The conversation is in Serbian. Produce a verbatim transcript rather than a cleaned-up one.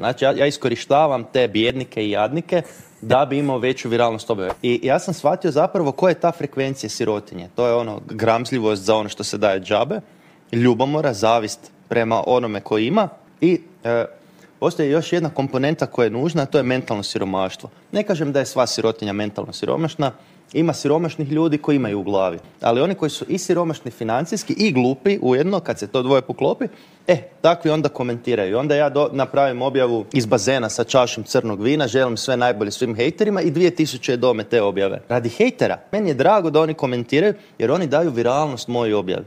Znači, ja, ja iskorištavam te bjednike i jadnike da bi imao veću viralnost objave. I ja sam shvatio zapravo koja je ta frekvencija sirotinje. To je ono gramzljivost za ono što se daje džabe, ljubomora, zavist prema onome koji ima i e, postoji još jedna komponenta koja je nužna, a to je mentalno siromaštvo. Ne kažem da je sva sirotinja mentalno siromašna, ima siromašnih ljudi koji imaju u glavi, ali oni koji su i siromašni financijski i glupi ujedno, kad se to dvoje poklopi, e, takvi onda komentiraju. Onda ja do, napravim objavu iz bazena sa čašom crnog vina, želim sve najbolje svim hejterima i dvije tisuće je dome te objave. Radi hejtera, meni je drago da oni komentiraju jer oni daju viralnost mojoj objavi.